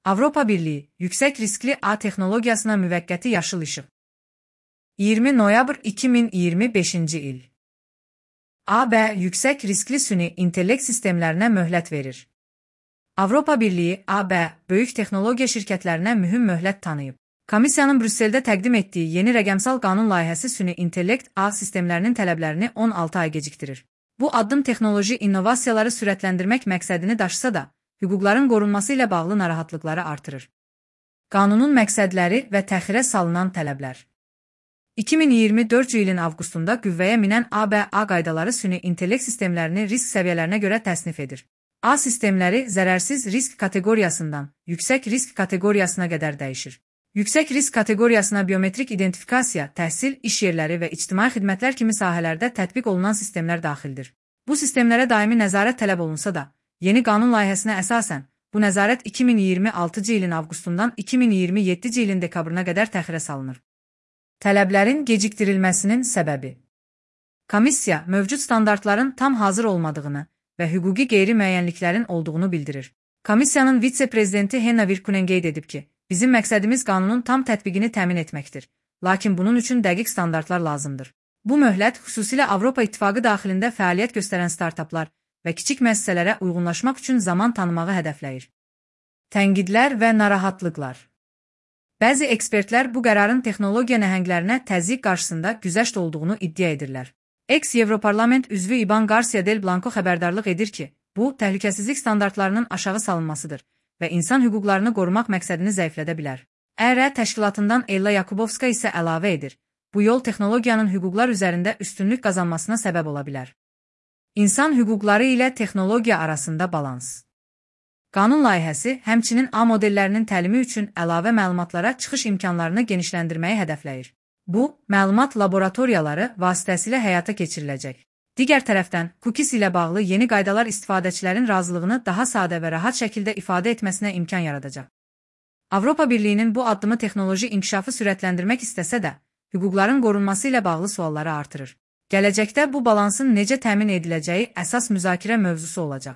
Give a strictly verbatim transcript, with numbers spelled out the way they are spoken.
Avropa Birliği, yüksek riskli ağ texnologiyasına müvəqqəti yaşıl işıq. iyirmi noyabr iki min iyirmi beşinci il. A B, yüksek riskli süni intellekt sistemlərinə möhlət verir. Avropa Birliği, A B, böyük texnologiya şirkətlərinə mühüm möhlət tanıyıb. Komissiyanın Brüsseldə təqdim etdiyi yeni rəqəmsal qanun layihəsi süni intellekt ağ sistemlərinin tələblərini on altı ay gecikdirir. Bu addım texnoloji innovasiyaları sürətləndirmək məqsədini daşısa da, hüquqların qorunması ilə bağlı narahatlıqları artırır. Qanunun məqsədləri və təxirə salınan tələblər. iki min iyirmi dördüncü ilin avqustunda qüvvəyə minən A B A qaydaları süni intellekt sistemlərini risk səviyyələrinə görə təsnif edir. A sistemləri zərərsiz risk kateqoriyasından yüksək risk kateqoriyasına qədər dəyişir. Yüksək risk kateqoriyasına biometrik identifikasiya, təhsil, iş yerləri və ictimai xidmətlər kimi sahələrdə tətbiq olunan sistemlər daxildir. Bu sistemlərə daimi nəzarət tələb olunsa da, yeni qanun layihəsinə əsasən, bu nəzarət iki min iyirmi altıncı ilin avqustundan iki min iyirmi yeddinci ilin dekabrına qədər təxirə salınır. Tələblərin gecikdirilməsinin səbəbi. Komissiya, mövcud standartların tam hazır olmadığını və hüquqi qeyri-müəyyənliklərin olduğunu bildirir. Komissiyanın vitse-prezidenti Henna Virkkunen qeyd edib ki, bizim məqsədimiz qanunun tam tətbiqini təmin etməkdir, lakin bunun üçün dəqiq standartlar lazımdır. Bu möhlət xüsusilə Avropa İttifaqı daxilində fəaliyyət göstərən startaplar və kiçik müəssisələrə uyğunlaşmaq üçün zaman tanımağı hədəfləyir. Tənqidlər və narahatlıqlar. Bəzi ekspertlər bu qərarın texnologiya nəhənglərinə təzyiq qarşısında güzəşt olduğunu iddia edirlər. Eks-Evroparlament üzvü İban Garcia del Blanco xəbərdarlıq edir ki, bu, təhlükəsizlik standartlarının aşağı salınmasıdır və insan hüquqlarını qorumaq məqsədini zəiflədə bilər. E R təşkilatından Ella Yakubovska isə əlavə edir, bu yol texnologiyanın hüquqlar üzərində üstünlük qazanmasına səbəb ola bilər. İnsan hüquqları ilə texnologiya arasında balans. Qanun layihəsi həmçinin A modellərinin təlimi üçün əlavə məlumatlara çıxış imkanlarını genişləndirməyi hədəfləyir. Bu, məlumat laboratoriyaları vasitəsilə həyata keçiriləcək. Digər tərəfdən, cookies ilə bağlı yeni qaydalar istifadəçilərin razılığını daha sadə və rahat şəkildə ifadə etməsinə imkan yaradacaq. Avropa Birliyinin bu addımı texnoloji inkişafı sürətləndirmək istəsə də, hüquqların qorunması ilə bağlı sualları artırır. Gələcəkdə bu balansın necə təmin ediləcəyi əsas müzakirə mövzusu olacaq.